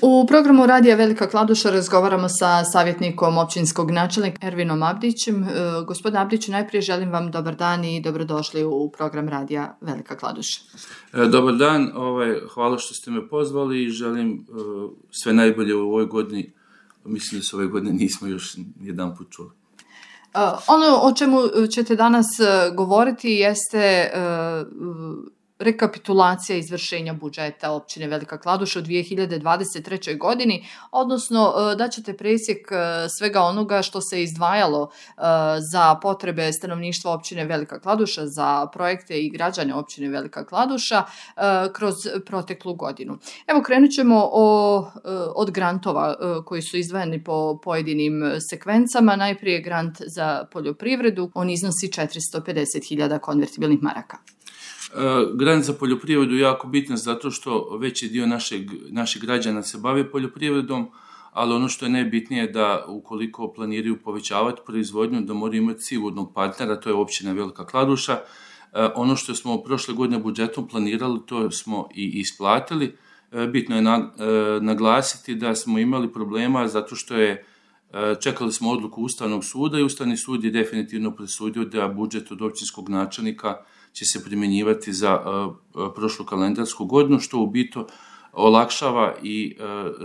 U programu Radija Velika Kladuša razgovaramo sa savjetnikom općinskog načelnika Ervinom Abdićem. Gospodine Abdiću, najprije želim vam dobar dan i dobrodošli u program Radija Velika Kladuša. Dobar dan, hvala što ste me pozvali i želim sve najbolje u ovoj godini. Mislim da se ove godine nismo još jedan put čuli. Ono o čemu ćete danas govoriti jeste rekapitulacija izvršenja budžeta općine Velika Kladuša u 2023. godini, odnosno da ćete presjek svega onoga što se izdvajalo za potrebe stanovništva općine Velika Kladuša, za projekte i građane općine Velika Kladuša kroz proteklu godinu. Evo, krenut ćemo od grantova koji su izdvojeni po pojedinim sekvencama. Najprije grant za poljoprivredu, on iznosi 450.000 konvertibilnih maraka. Grant za poljoprivredu je jako bitan zato što veći dio naših građana se bave poljoprivredom, ali ono što je najbitnije da ukoliko planiraju povećavati proizvodnju, da moraju imati sigurnog partnera, to je općina Velika Kladuša. Ono što smo prošle godine budžetom planirali, to smo i isplatili. Bitno je naglasiti da smo imali problema zato što čekali smo odluku Ustavnog suda i Ustavni sud je definitivno presudio da budžet od općinskog načelnika će se primjenjivati za prošlu kalendarsku godinu, što u biti olakšava i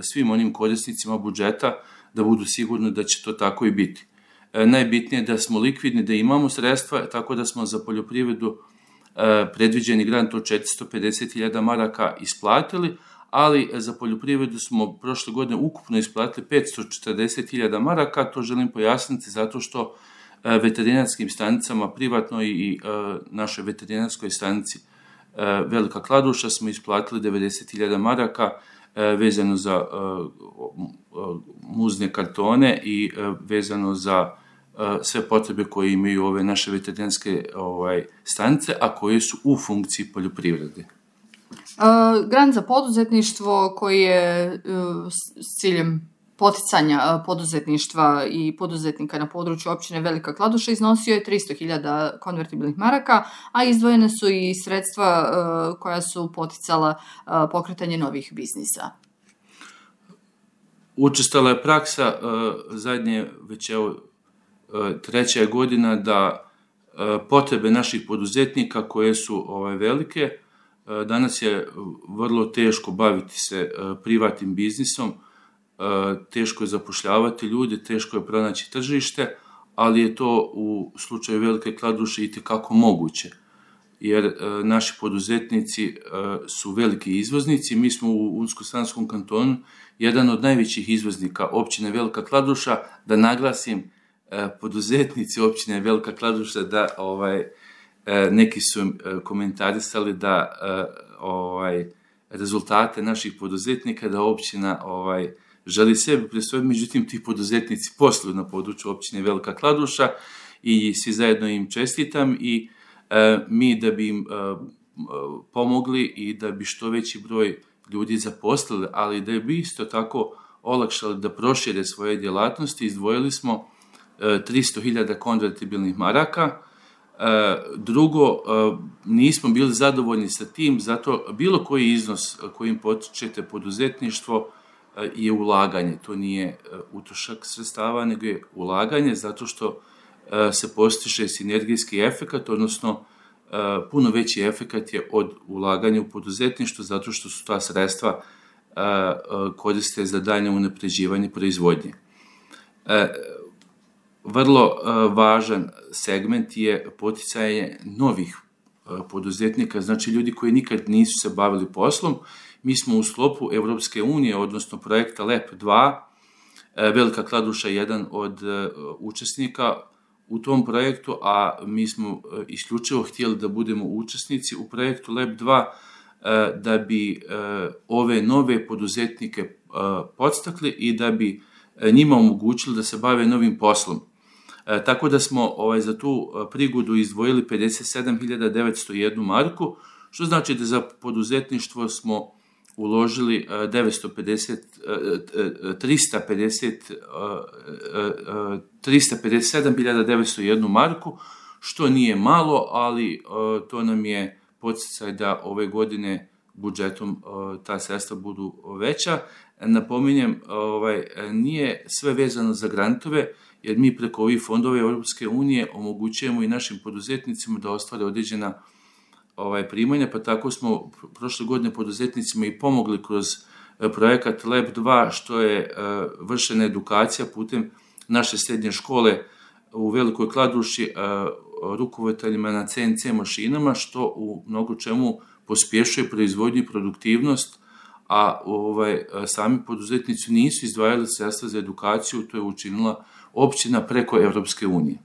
svim onim korisnicima budžeta da budu sigurni da će to tako i biti. Najbitnije je da smo likvidni, da imamo sredstva, tako da smo za poljoprivredu predviđeni grant od 450.000 maraka isplatili, ali za poljoprivredu smo prošle godine ukupno isplatili 540.000 maraka. To želim pojasniti zato što veterinarskim stanicama privatno i našoj veterinarskoj stanici Velika Kladuša smo isplatili 90.000 maraka vezano za muzne kartone i vezano za sve potrebe koje imaju ove naše veterinarske stanice, a koje su u funkciji poljoprivrede. Grant za poduzetništvo koji je s ciljem poticanja poduzetništva i poduzetnika na području općine Velika Kladuša iznosio je 300.000 konvertibilnih maraka, a izdvojene su i sredstva koja su poticala pokretanje novih biznisa. Učestala je praksa zadnje već treća godina da potrebe naših poduzetnika koje su velike, danas je vrlo teško baviti se privatnim biznisom, teško je zapošljavati ljude, teško je pronaći tržište, ali je to u slučaju Velike Kladuše itekako moguće, jer naši poduzetnici su veliki izvoznici. Mi smo u Unsko-Sanskom kantonu jedan od najvećih izvoznika općine Velika Kladuša. Da naglasim, poduzetnici općine Velika Kladuša, da neki su komentarisali da rezultate naših poduzetnika, da općina želi sebi prisvojiti, međutim ti poduzetnici posluju na području općine Velika Kladuša i svi zajedno im čestitam i mi da bi im pomogli i da bi što veći broj ljudi zaposlili, ali da bi isto tako olakšali da prošire svoje djelatnosti, izdvojili smo 300.000 konvertibilnih maraka. Drugo, nismo bili zadovoljni sa tim, zato bilo koji iznos kojim potičete poduzetništvo je ulaganje. To nije utrošak sredstava, nego je ulaganje, zato što se postiže sinergijski efekat, odnosno puno veći efekat je od ulaganja u poduzetništvo, zato što su ta sredstva koriste za daljnje unapređivanje proizvodnje. Vrlo važan segment je poticanje novih poduzetnika, znači ljudi koji nikad nisu se bavili poslom. Mi smo u sklopu Europske unije, odnosno projekta LEP 2, Velika Kladuša je jedan od učesnika u tom projektu, a mi smo isključivo htjeli da budemo učesnici u projektu LEP 2 da bi ove nove poduzetnike podstakli i da bi njima omogućili da se bave novim poslom. Tako da smo za tu prigodu izdvojili 57.901 marku, što znači da za poduzetništvo smo uložili 357.901 marku, što nije malo, ali to nam je poticaj da ove godine budžetom ta sredstva budu veća. Napominjem, nije sve vezano za grantove, jer mi preko ovih fondova Europske unije omogućujemo i našim poduzetnicima da ostvare određena primanja, pa tako smo prošle godine poduzetnicima i pomogli kroz projekat Lab 2, što je vršena edukacija putem naše srednje škole u Velikoj Kladuši rukovoditeljima na CNC mašinama, što u mnogo čemu pospješuje proizvodnju i produktivnost, a sami poduzetnici nisu izdvajali sredstva za edukaciju, to je učinila općina preko Europske unije.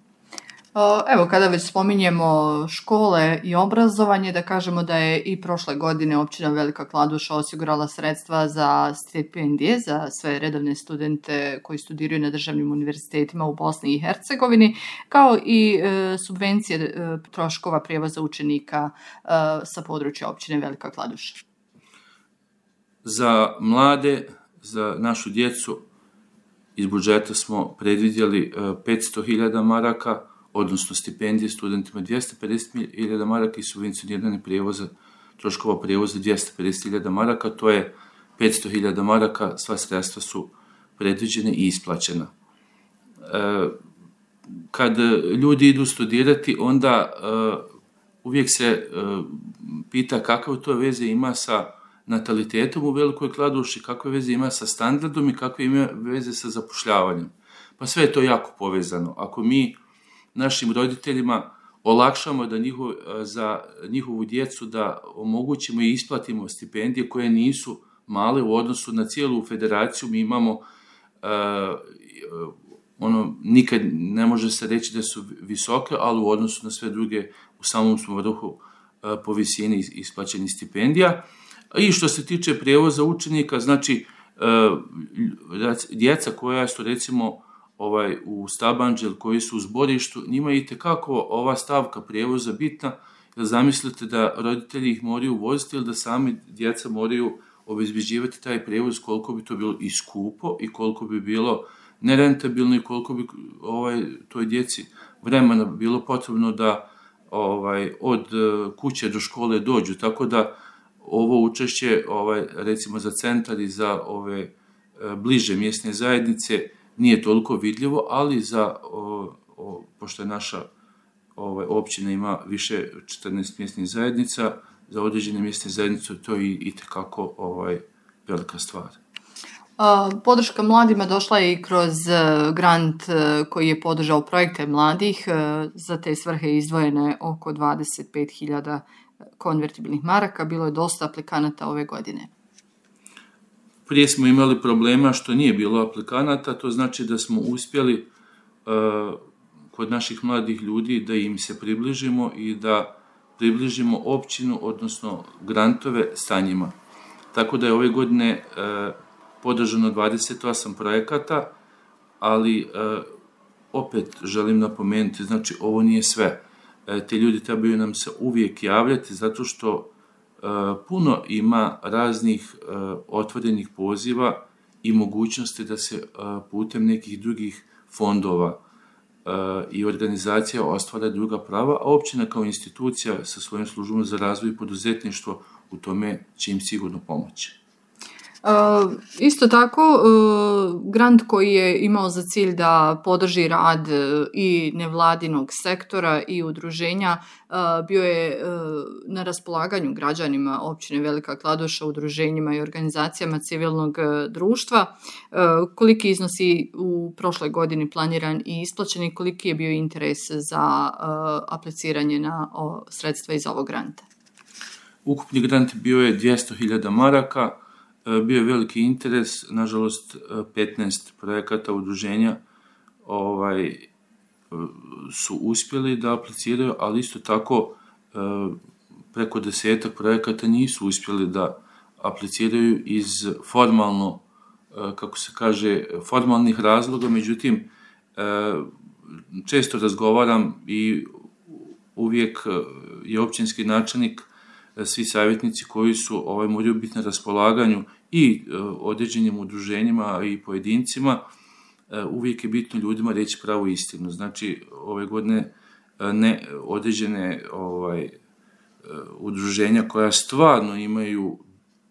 Evo, kada već spominjemo škole i obrazovanje, da kažemo da je i prošle godine općina Velika Kladuša osigurala sredstva za stipendije za sve redovne studente koji studiraju na državnim univerzitetima u Bosni i Hercegovini, kao i subvencije troškova prijevoza učenika sa područja općine Velika Kladuša. Za mlade, za našu djecu, iz budžeta smo predvidjeli 500.000 maraka, odnosno stipendije studentima 250.000 maraka i subvencionirane troškova prijevoza 250.000 maraka, to je 500.000 maraka, sva sredstva su predviđene i isplaćena. Kad ljudi idu studirati, onda uvijek se pita kakve to veze ima sa natalitetom u Velikoj Kladuši, kakve veze ima sa standardom i kakve ima veze sa zapošljavanjem. Pa sve je to jako povezano. Ako mi našim roditeljima olakšamo za njihovu djecu da omogućimo i isplatimo stipendije koje nisu male u odnosu na cijelu federaciju, mi imamo nikad ne može se reći da su visoke, ali u odnosu na sve druge u samom smo vrhu po visini isplaćenih stipendija. I što se tiče prijevoza učenika, znači djeca koja su recimo u Stabanđel, koji su u zborištu, njima je itekako ova stavka prijevoza bitna, jer zamislite da roditelji ih moraju voziti ili da sami djeca moraju obezbeđivati taj prijevoz, koliko bi to bilo i skupo i koliko bi bilo nerentabilno i koliko bi toj djeci vremena bilo potrebno da od kuće do škole dođu. Tako da ovo učešće recimo za centar i za ove bliže mjesne zajednice nije toliko vidljivo, ali pošto je naša općina ima više 14 mjesnih zajednica, za određene mjesne zajednice to je itekako velika stvar. Podrška mladima došla je i kroz grant koji je podržao projekte mladih. Za te svrhe izdvojene oko 25.000 konvertibilnih maraka. Bilo je dosta aplikanata ove godine. Prije smo imali problema što nije bilo aplikanata, to znači da smo uspjeli kod naših mladih ljudi da im se približimo i da približimo općinu, odnosno grantove sa njima. Tako da je ove godine podržano 28 projekata, ali opet želim napomenuti, znači ovo nije sve. Ti ljudi trebaju nam se uvijek javljati zato što puno ima raznih otvorenih poziva i mogućnosti da se putem nekih drugih fondova i organizacija ostvara druga prava, a općina kao institucija sa svojim službom za razvoj i poduzetništvo u tome će im sigurno pomoći. Isto tako, grant koji je imao za cilj da podrži rad i nevladinog sektora i udruženja bio je na raspolaganju građanima općine Velika Kladuša, udruženjima i organizacijama civilnog društva. Koliki iznosi u prošloj godini planiran i isplaćen i koliki je bio interes za apliciranje na sredstva iz ovog granta? Ukupni grant bio je 200.000 maraka. Bio je veliki interes, nažalost 15 projekata udruženja su uspjeli da apliciraju, ali isto tako preko 10 projekata nisu uspjeli da apliciraju iz formalnih razloga, međutim često razgovaram i uvijek je općinski načelnik, svi savjetnici koji su moraju biti na raspolaganju i određenim udruženjima i pojedincima, uvijek je bitno ljudima reći pravu istinu. Znači, ove godine određene udruženja koja stvarno imaju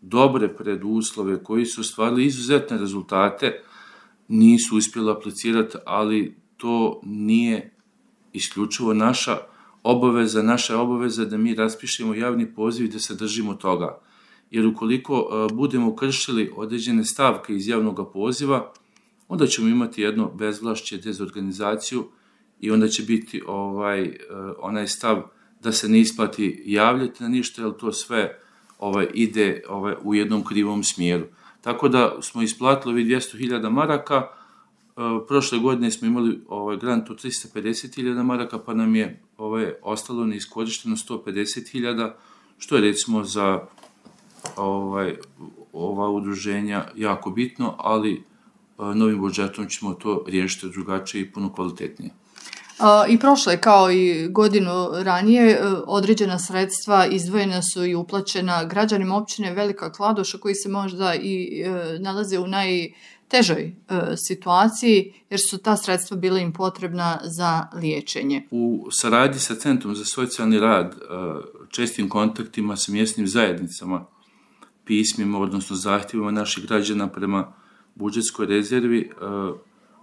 dobre preduslove, koji su ostvarili izuzetne rezultate, nisu uspjeli aplicirati, ali to nije isključivo naša obaveza. Naša je obaveza da mi raspišemo javni poziv i da se držimo toga. Jer ukoliko budemo kršili određene stavke iz javnog poziva, onda ćemo imati jedno bezvlašće, dezorganizaciju i onda će biti onaj stav da se ne isplati javljati na ništa, jer to sve ide u jednom krivom smjeru. Tako da smo isplatili ovih 200.000 maraka, prošle godine smo imali grant od 350.000 maraka, pa nam je ostalo neiskorišteno 150.000, što je recimo za ova udruženja jako bitno, ali novim budžetom ćemo to riješiti drugačije i puno kvalitetnije. I prošle, kao i godinu ranije, određena sredstva izdvojena su i uplaćena građanima općine Velika Kladuša, koji se možda i nalaze u najtežoj situaciji, jer su ta sredstva bila im potrebna za liječenje. U saradnji sa Centrom za socijalni rad, čestim kontaktima sa mjesnim zajednicama, pismima, odnosno zahtjevima naših građana prema budžetskoj rezervi,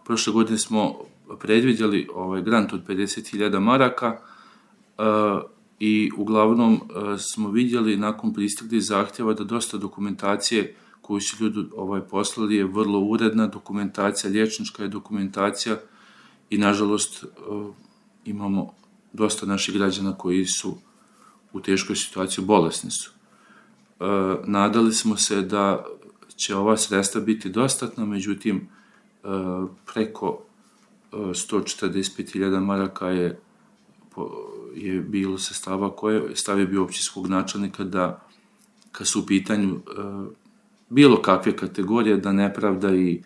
prošle godine smo predvidjeli grant od 50.000 maraka i uglavnom smo vidjeli nakon pristiglih zahtjeva da dosta dokumentacije koju su ljudi poslali je vrlo uredna dokumentacija, liječnička je dokumentacija i nažalost imamo dosta naših građana koji su u teškoj situaciji, bolesni su. Nadali smo se da će ova sredstva biti dostatna, međutim preko 145.000 maraka je bilo sredstava koje stav je bio općinskog načelnika da kad su u pitanju bilo kakve kategorije, da nepravda i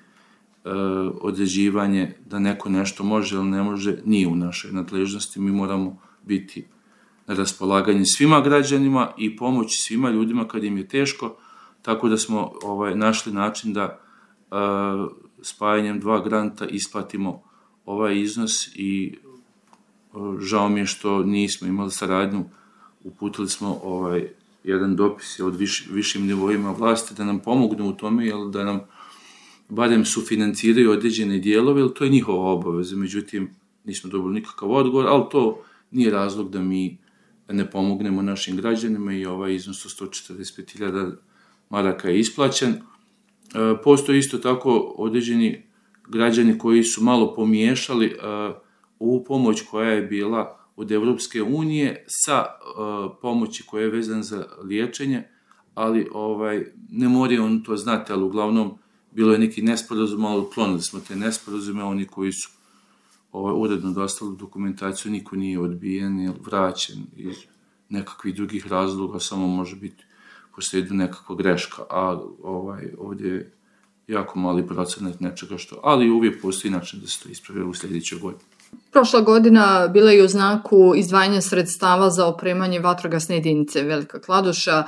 određivanje da neko nešto može ili ne može, nije u našoj nadležnosti. Mi moramo biti na raspolaganju svima građanima i pomoći svima ljudima kad im je teško, tako da smo našli način da spajanjem 2 granta isplatimo ovaj iznos i žao mi je što nismo imali saradnju. Uputili smo jedan dopis od višim nivoima vlasti da nam pomognu u tome, jer da nam barem sufinanciraju određene dijelove, jer to je njihova obaveza. Međutim, nismo dobili nikakav odgovor, ali to nije razlog da mi ne pomognemo našim građanima i ovaj iznos od 145.000 maraka je isplaćen. Postoji isto tako određeni građani koji su malo pomiješali ovu pomoć koja je bila od Evropske unije sa pomoći koja je vezana za liječenje, ali ne moraju on to znati, ali uglavnom bilo je neki nesporazum, ali uklonili smo te nesporazume, oni koji su uredno dostavili dokumentaciju, niko nije odbijen ili vraćen iz nekakvih drugih razloga, samo može biti posljedica nekakva greška, a ovdje je jako mali procenat nečega što, ali uvijek postoji način da se to ispravi u sljedećoj godini. Prošla godina bila je u znaku izdvajanja sredstava za opremanje vatrogasne jedinice Velika Kladuša.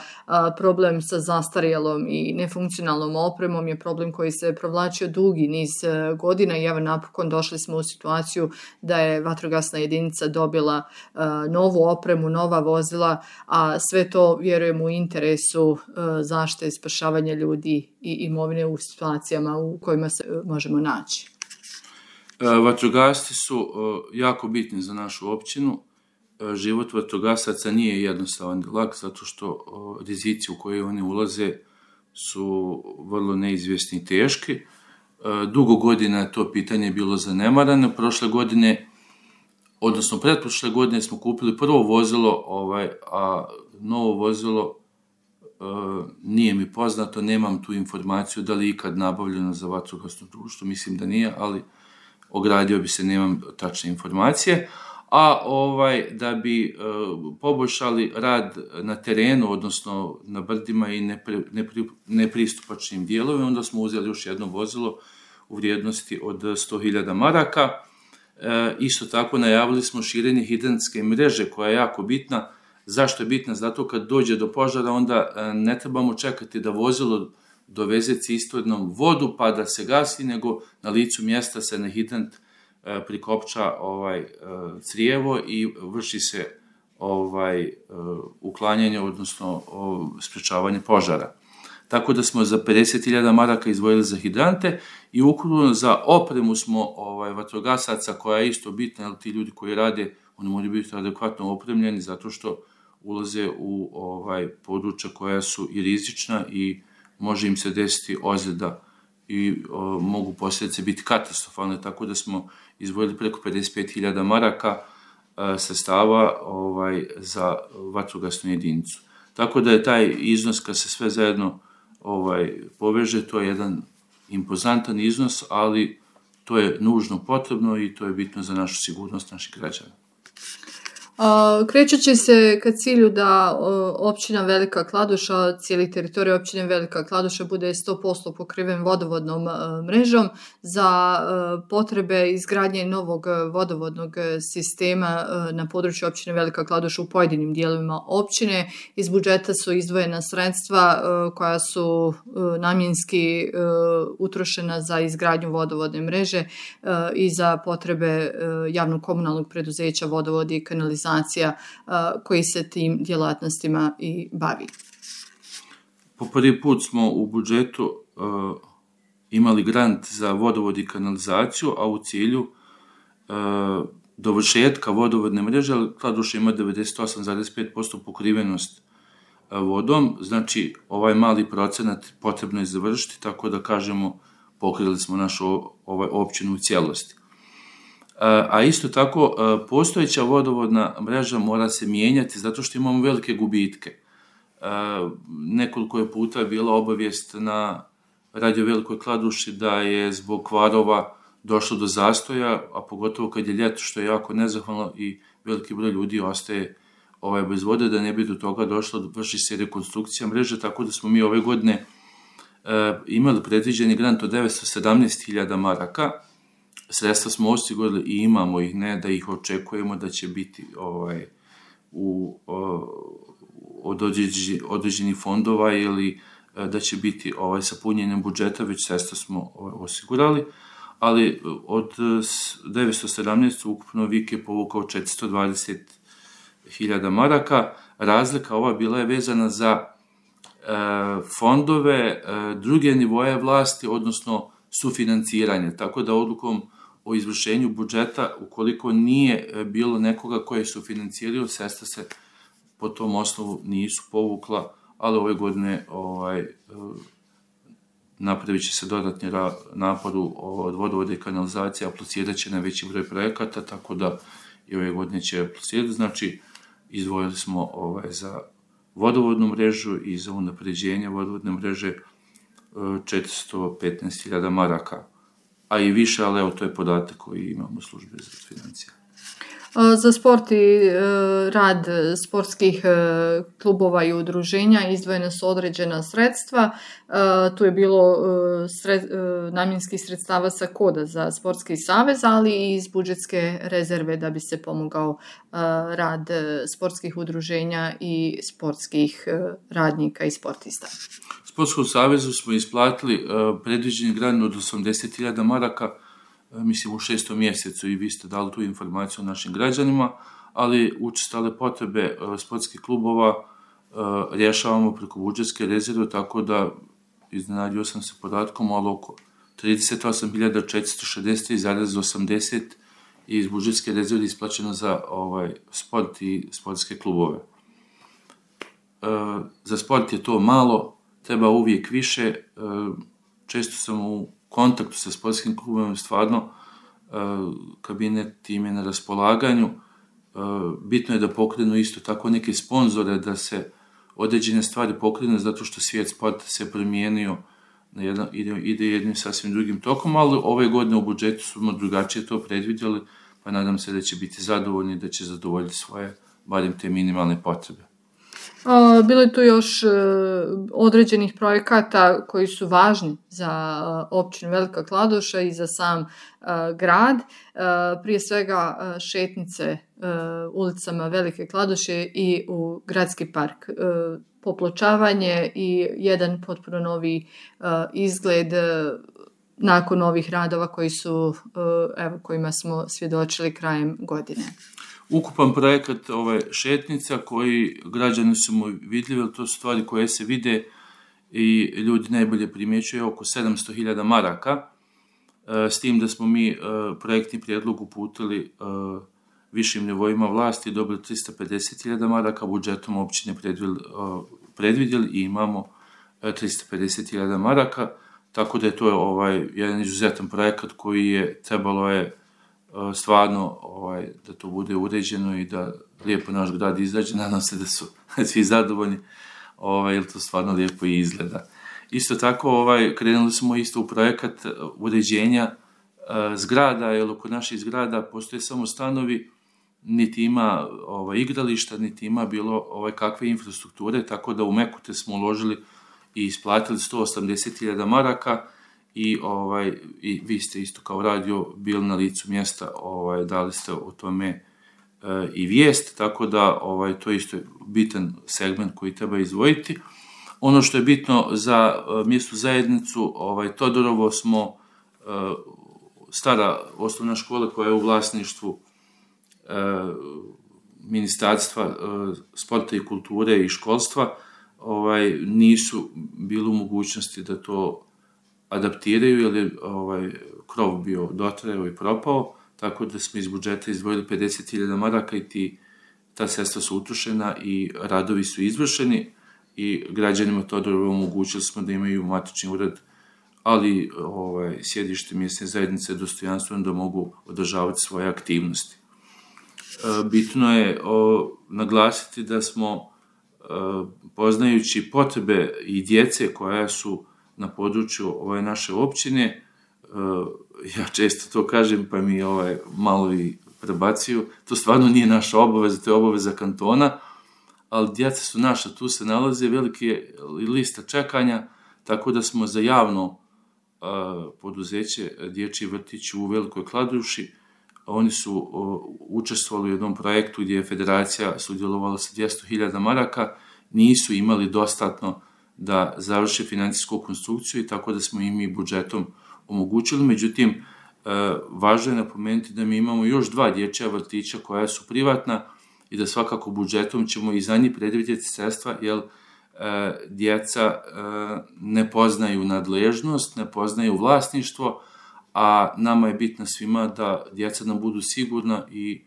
Problem sa zastarjelom i nefunkcionalnom opremom je problem koji se provlačio dugi niz godina i evo napokon došli smo u situaciju da je vatrogasna jedinica dobila novu opremu, nova vozila, a sve to vjerujem u interesu zaštite i spašavanja ljudi i imovine u situacijama u kojima se možemo naći. Vatrogasci su jako bitni za našu općinu. Život vatrogasaca nije jednostavan i lak, zato što rizici u koje oni ulaze su vrlo neizvjesni i teški. Dugo godina je to pitanje bilo zanemarano. Prošle godine, odnosno pretprošle godine smo kupili prvo vozilo, a novo vozilo nije mi poznato, nemam tu informaciju da li je ikad nabavljeno za vatrogasno društvo, mislim da nije, ali ogradio bi se, nemam tačne informacije, a da bi poboljšali rad na terenu, odnosno na brdima i nepristupačnim dijelovima, onda smo uzeli još jedno vozilo u vrijednosti od 100.000 maraka. Isto tako najavili smo širenje hidrantske mreže koja je jako bitna. Zašto je bitna? Zato kad dođe do požara, onda ne trebamo čekati da vozilo doveze cisternom vodu pa da se gasi, nego na licu mjesta se na hidrant prikopča crijevo i vrši se uklanjanje, odnosno sprječavanje požara. Tako da smo za 50.000 maraka izdvojili za hidrante i ukupno za opremu smo vatrogasaca, koja je isto bitna, jer ti ljudi koji rade, oni moraju biti adekvatno opremljeni zato što ulaze u područja koja su i rizična i može im se desiti ozljeda i mogu posljedice biti katastrofalne, tako da smo izdvojili preko 55.000 maraka sredstava za vatrogasnu jedinicu. Tako da je taj iznos, kad se sve zajedno poveže, to je jedan impozantan iznos, ali to je nužno potrebno i to je bitno za našu sigurnost naših građana. Krećući se ka cilju da općina Velika Kladuša, cijeli teritorij općine Velika Kladuša bude 100% pokriven vodovodnom mrežom, za potrebe izgradnje novog vodovodnog sistema na području općine Velika Kladuša u pojedinim dijelovima općine, iz budžeta su izdvojena sredstva koja su namjenski utrošena za izgradnju vodovodne mreže i za potrebe javnog komunalnog preduzeća Vodovodi i kanalizacija, koji se tim djelatnostima i bavi. Po prvi put smo u budžetu imali grant za vodovod i kanalizaciju, a u cilju dovršetka vodovodne mreže, Kladuša ima 98,5% pokrivenost vodom, znači ovaj mali procenat potrebno je završiti, tako da kažemo pokrili smo našu općinu u cijelosti. A isto tako, postojeća vodovodna mreža mora se mijenjati zato što imamo velike gubitke. Nekoliko je puta bila obavijest na Radio Velikoj Kladuši da je zbog kvarova došlo do zastoja, a pogotovo kad je ljeto, što je jako nezahvalno i veliki broj ljudi ostaje bez vode, da ne bi do toga došlo, vrši se rekonstrukcija mreže, tako da smo mi ove godine imali predviđeni grant od 917.000 maraka. Sredstva smo osigurali i imamo ih, ne da ih očekujemo da će biti od određenih fondova ili da će biti sa punjenjem budžeta, već sredstva smo osigurali, ali od 917 ukupno VIK je povukao 420.000 maraka. Razlika ova bila je vezana za fondove druge nivoje vlasti, odnosno sufinanciranje, tako da odlukom o izvršenju budžeta, ukoliko nije bilo nekoga koje su financirali, sredstva se po tom osnovu nisu povukla, ali ove godine napravit će se dodatni napor od vodovode i kanalizacije, aplicirat će na veći broj projekata, tako da i ove godine će aplicirati. Znači, izdvojili smo za vodovodnu mrežu i za unapređenje vodovodne mreže 415.000 maraka, a i više, ali evo, to je podatak koji imamo u službi za financije. Za sport i rad sportskih klubova i udruženja izdvojena su određena sredstva. Tu je bilo namjenskih sredstava sa koda za sportski savez, ali i iz budžetske rezerve da bi se pomogao rad sportskih udruženja i sportskih radnika i sportista. Sportskom savezu smo isplatili predviđeni grant od 80.000 maraka, mislim u 6. mjesecu, i vi ste dali tu informaciju našim građanima, ali učestale potrebe sportskih klubova rješavamo preko budžetske rezerve, tako da iznenadio sam se podatkom, ali oko 38.463,80 iz budžetske rezerve isplaćeno za sport i sportske klubove. Za sport je to malo, treba uvijek više. Često sam u kontaktu sa sportskim klubom, stvarno kabinet im je na raspolaganju. Bitno je da pokrenu isto tako neke sponzore, da se određene stvari pokrenu, zato što svijet sporta se promijenio, ide jednim sasvim drugim tokom, ali ove godine u budžetu smo drugačije to predvidjeli, pa nadam se da će biti zadovoljni, da će zadovoljiti svoje, barem te minimalne potrebe. Bilo je tu još određenih projekata koji su važni za općinu Velika Kladuša i za sam grad. Prije svega šetnice ulicama Velike Kladuše i u gradski park. Popločavanje i jedan potpuno novi izgled nakon ovih radova kojima smo svjedočili krajem godine. Ukupan projekat šetnica koji građani su mu vidljivi, to su stvari koje se vide i ljudi najbolje primjećuju, oko 700.000 maraka, s tim da smo mi projektni prijedlog uputili višim nivoima vlasti, dobili 350.000 maraka, budžetom općine predvidjeli i imamo 350.000 maraka, tako da je to jedan izuzetan projekat koji je trebalo stvarno da to bude uređeno i da lijepo naš grad izađe. Nadam se da su svi zadovoljni, jer to stvarno lijepo i izgleda. Isto tako krenuli smo isto u projekat uređenja zgrada, jer oko naših zgrada postoje samo stanovi, niti ima igrališta, niti ima bilo kakve infrastrukture, tako da u Mekute smo uložili i isplatili 180.000 maraka i vi ste isto kao radio bili na licu mjesta, dali ste o tome i vijest, tako da to isto je bitan segment koji treba izdvojiti. Ono što je bitno za mjesnu zajednicu, Todorovo smo stara osnovna škola koja je u vlasništvu Ministarstva sporta i kulture i školstva, nisu bili u mogućnosti da to adaptiraju, jer je krov bio dotrajao i propao, tako da smo iz budžeta izdvojili 50.000 maraka i ta sredstva su utrošena i radovi su izvršeni i građanima Todorova omogućili smo da imaju matični ured, ali sjedište mjesne zajednice dostojanstveno da mogu održavati svoje aktivnosti. Bitno je naglasiti da smo, poznajući potrebe i djece koja su na području ove naše općine, ja često to kažem pa mi malo i prebacuju, to stvarno nije naša obaveza, to je obaveza kantona, ali djeca su naša, tu se nalaze velike lista čekanja, tako da smo za javno poduzeće Dječji vrtić u Velikoj Kladuši, oni su učestvovali u jednom projektu gdje je federacija sudjelovala sa 200.000 maraka, nisu imali dostatno da završe financijsku konstrukciju i tako da smo im i budžetom omogućili. Međutim, važno je napomenuti da mi imamo još 2 dječja vrtića koja su privatna i da svakako budžetom ćemo i za njih predvidjeti sredstva, jer djeca ne poznaju nadležnost, ne poznaju vlasništvo, a nama je bitno svima da djeca nam budu sigurna i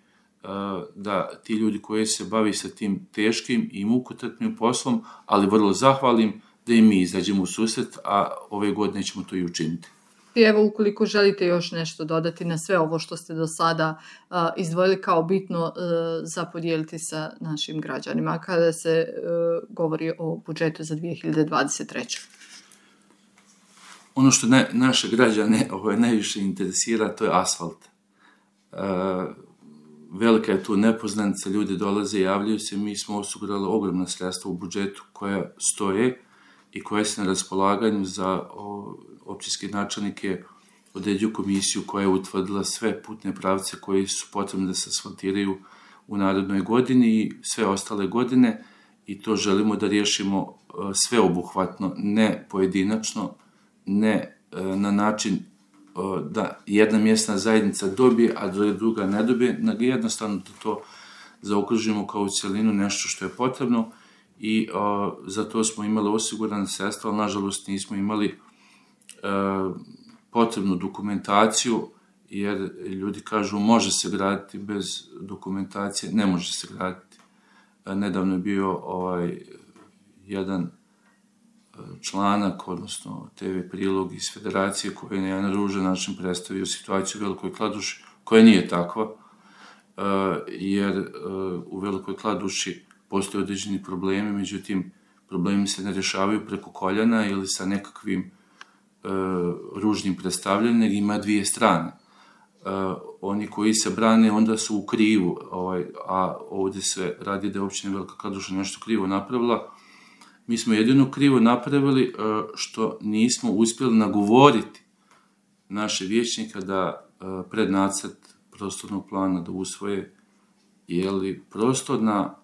da ti ljudi koji se bavi sa tim teškim i mukotrpnim poslom, ali vrlo zahvalim, da i mi izađemo u susret, a ove godine ćemo to i učiniti. I evo, ukoliko želite još nešto dodati na sve ovo što ste do sada izdvojili kao bitno za podijeliti sa našim građanima kada se govori o budžetu za 2023. Ono što naše građane najviše interesira, to je asfalt. Velika je tu nepoznanica, ljudi dolaze i javljaju se, mi smo osigurali ogromna sredstva u budžetu koja stoje i koja se na raspolaganju za općinske načelnike, određuju komisiju koja je utvrdila sve putne pravce koji su potrebni da se asfaltiraju u narednoj godini i sve ostale godine, i to želimo da riješimo sveobuhvatno, ne pojedinačno, ne na način da jedna mjesna zajednica dobije, a druga ne dobije, nego jednostavno da to zaokružimo kao u cjelinu nešto što je potrebno, i za to smo imali osigurane sredstva, ali nažalost nismo imali potrebnu dokumentaciju, jer ljudi kažu može se graditi bez dokumentacije, ne može se graditi. Nedavno je bio jedan članak, odnosno TV prilog iz federacije koji je na jedan ružan način predstavio situaciju u Velikoj Kladuši, koja nije takva, jer u Velikoj Kladuši postoje određeni problemi, međutim problemi se ne rješavaju preko koljena ili sa nekakvim ružnim predstavljanjem, nego ima dvije strane. Oni koji se brane onda su u krivu, a ovdje se radi da je općina Velika Kladuša nešto krivo napravila. Mi smo jedino krivo napravili što nismo uspjeli nagovoriti naše vijećnika da pred nacrt prostornog plana da usvoje, jer prostorna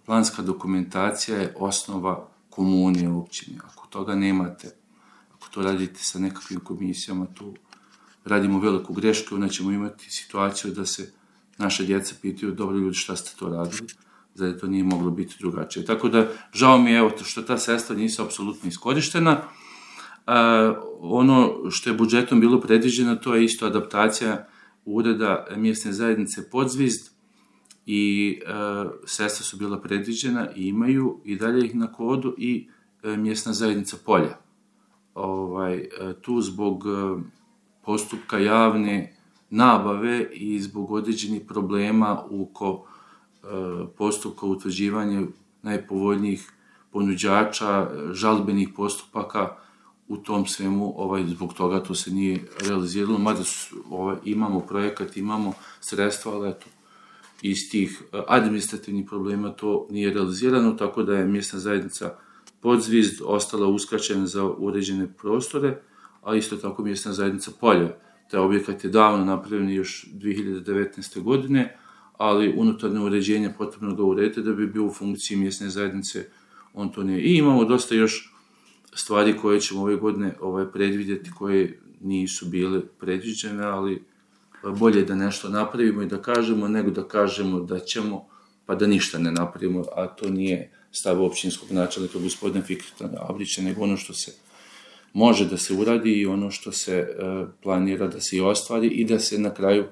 planska dokumentacija je osnova komunije općine. Ako toga nemate, ako to radite sa nekakvim komisijama, tu radimo veliku grešku, onda ćemo imati situaciju da se naše djece pitaju, dobro ljudi, šta ste to radili? Zar to nije moglo biti drugačije. Tako da, žao mi je evo, što ta sredstva nisu apsolutno iskorištena. Ono što je budžetom bilo predviđeno, to je isto adaptacija ureda mjesne zajednice Podzvizd i sredstva su bila predviđena i imaju i dalje ih na kodu i mjesna zajednica Polja. Tu zbog postupka javne nabave i zbog određenih problema oko postupka utvrđivanja najpovoljnijih ponuđača, žalbenih postupaka, u tom svemu, zbog toga to se nije realiziralo, mada imamo projekat, imamo sredstva, ali eto, iz tih administrativnih problema to nije realizirano, tako da je mjesna zajednica Podzvizd ostala uskraćena za uređene prostore, a isto tako mjesna zajednica Polja. Taj objekat je davno napravljen još 2019. godine, ali unutarnje uređenje potrebno ga urediti da bi bio u funkciji mjesne zajednice, on to nije. I imamo dosta još stvari koje ćemo ove godine predvidjeti, koje nisu bile predviđene, ali bolje da nešto napravimo i da kažemo, nego da kažemo da ćemo, pa da ništa ne napravimo, a to nije stav općinskog načelnika gospodina Fikreta Abrića, nego ono što se može da se uradi i ono što se planira da se i ostvari i da se na kraju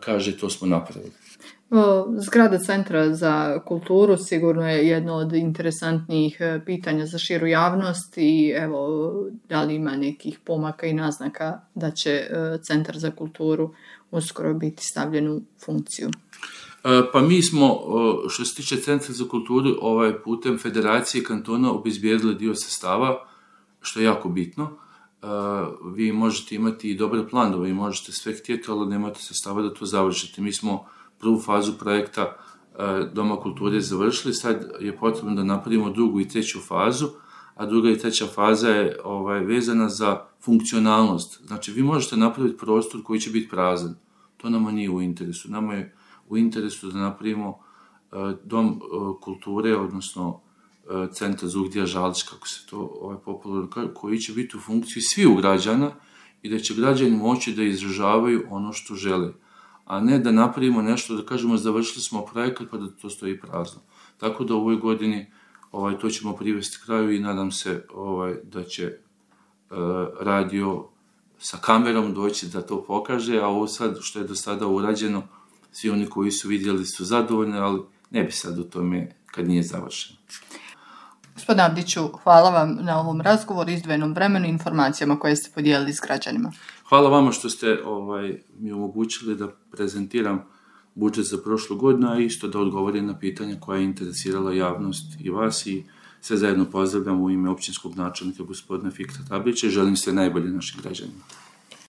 kaže to smo napravili. Zgrada Centra za kulturu sigurno je jedno od interesantnijih pitanja za širu javnost i evo, da li ima nekih pomaka i naznaka da će Centar za kulturu uskoro biti stavljen u funkciju? Pa mi smo, što se tiče Centra za kulturu, putem Federacije kantona obezbijedili dio sredstava, što je jako bitno. Vi možete imati i dobre planove i možete sve htjeti, ali nemate sredstava da to završite. Mi smo prvu fazu projekta Doma kulture završili, sad je potrebno da napravimo drugu i treću fazu, a druga i treća faza je vezana za funkcionalnost. Znači, vi možete napraviti prostor koji će biti prazan. To nama nije u interesu. Nama je u interesu da napravimo dom kulture, odnosno Centar Zugdija Žalić, kako se to popularno kaže, koji će biti u funkciji svih građana i da će građani moći da izražavaju ono što žele, a ne da napravimo nešto, da kažemo završili smo projekat pa da to stoji prazno. Tako da u ovoj godini to ćemo privesti kraju i nadam se da će radio sa kamerom doći da to pokaže, a ovo sad što je do sada urađeno, svi oni koji su vidjeli su zadovoljni, ali ne bi sad o tome kad nije završeno. Gospodine Abdiću, hvala vam na ovom razgovoru, izdvojenom vremenu i informacijama koje ste podijelili s građanima. Hvala vama što ste mi omogućili da prezentiram budžet za prošlu godinu, a isto da odgovorim na pitanja koja je interesirala javnost i vas i sve zajedno pozdravljam u ime općinskog načelnika gospodina Fikreta Abrića i želim sve najbolje našim građanima.